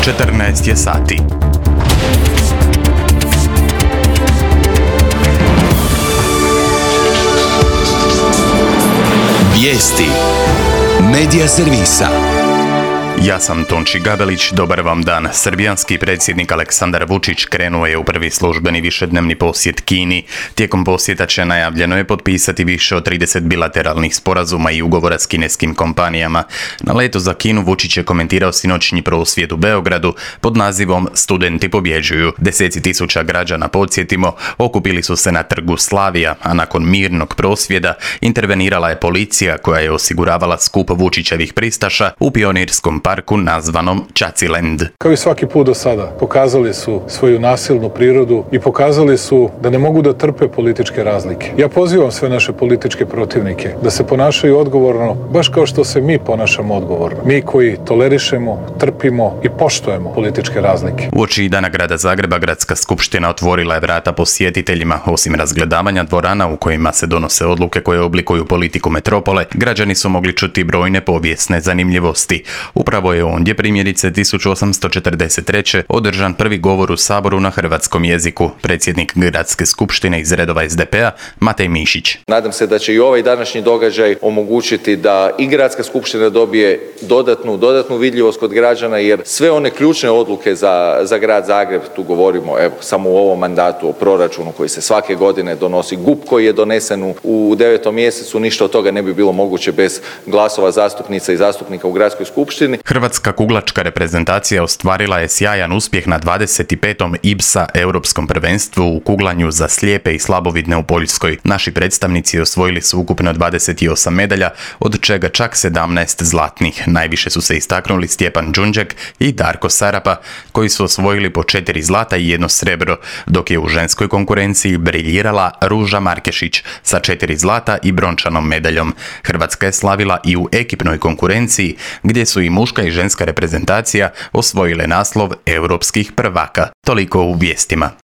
14 je sati. Vijesti Medija servisa. Ja sam Tonči Gabelić, dobar vam dan. Srbijanski predsjednik Aleksandar Vučić krenuo je u prvi službeni višednevni posjet Kini. Tijekom posjeta će najavljeno je potpisati više od 30 bilateralnih sporazuma i ugovora s kineskim kompanijama. Na letu za Kinu Vučić je komentirao sinoćnji prosvjed u Beogradu pod nazivom Studenti pobjeđuju. Deseci tisuća građana, podsjetimo, okupili su se na trgu Slavija, a nakon mirnog prosvjeda intervenirala je policija koja je osiguravala skup Vučićevih pristaša u pionirskom parku nazvanom Čaciland. Kao i svaki put do sada, pokazali su svoju nasilnu prirodu i pokazali su da ne mogu da trpe političke razlike. Ja pozivam sve naše političke protivnike da se ponašaju odgovorno, baš kao što se mi ponašamo odgovorno. Mi koji tolerišemo, trpimo i poštujemo političke razlike. Uoči Dana grada Zagreba, Gradska skupština otvorila je vrata posjetiteljima. Osim razgledavanja dvorana u kojima se donose odluke koje oblikuju politiku metropole, građani su mogli čuti brojne povijesne zanimljivosti. Upravo je ondje, primjerice 1843. održan prvi govor u Saboru na hrvatskom jeziku. Predsjednik Gradske skupštine iz redova SDP-a Matej Mišić. Nadam se da će i ovaj današnji događaj omogućiti da i Gradska skupština dobije dodatnu vidljivost kod građana, jer sve one ključne odluke za grad Zagreb, tu govorimo samo u ovom mandatu o proračunu koji se svake godine donosi, GUP koji je donesen u 9. mjesecu, ništa od toga ne bi bilo moguće bez glasova zastupnica i zastupnika u Gradskoj skupštini. Hrvatska kuglačka reprezentacija ostvarila je sjajan uspjeh na 25. IBSA europskom prvenstvu u kuglanju za slijepe i slabovidne u Poljskoj. Naši predstavnici osvojili su ukupno 28 medalja, od čega čak 17 zlatnih. Najviše su se istaknuli Stjepan Đunđek i Darko Sarapa, koji su osvojili po 4 zlata i 1 srebro, dok je u ženskoj konkurenciji briljirala Ruža Markešić sa 4 zlata i brončanom medaljom. Hrvatska je slavila i u ekipnoj konkurenciji, gdje su i muška i ženska reprezentacija osvojile naslov europskih prvaka. Toliko u vijestima.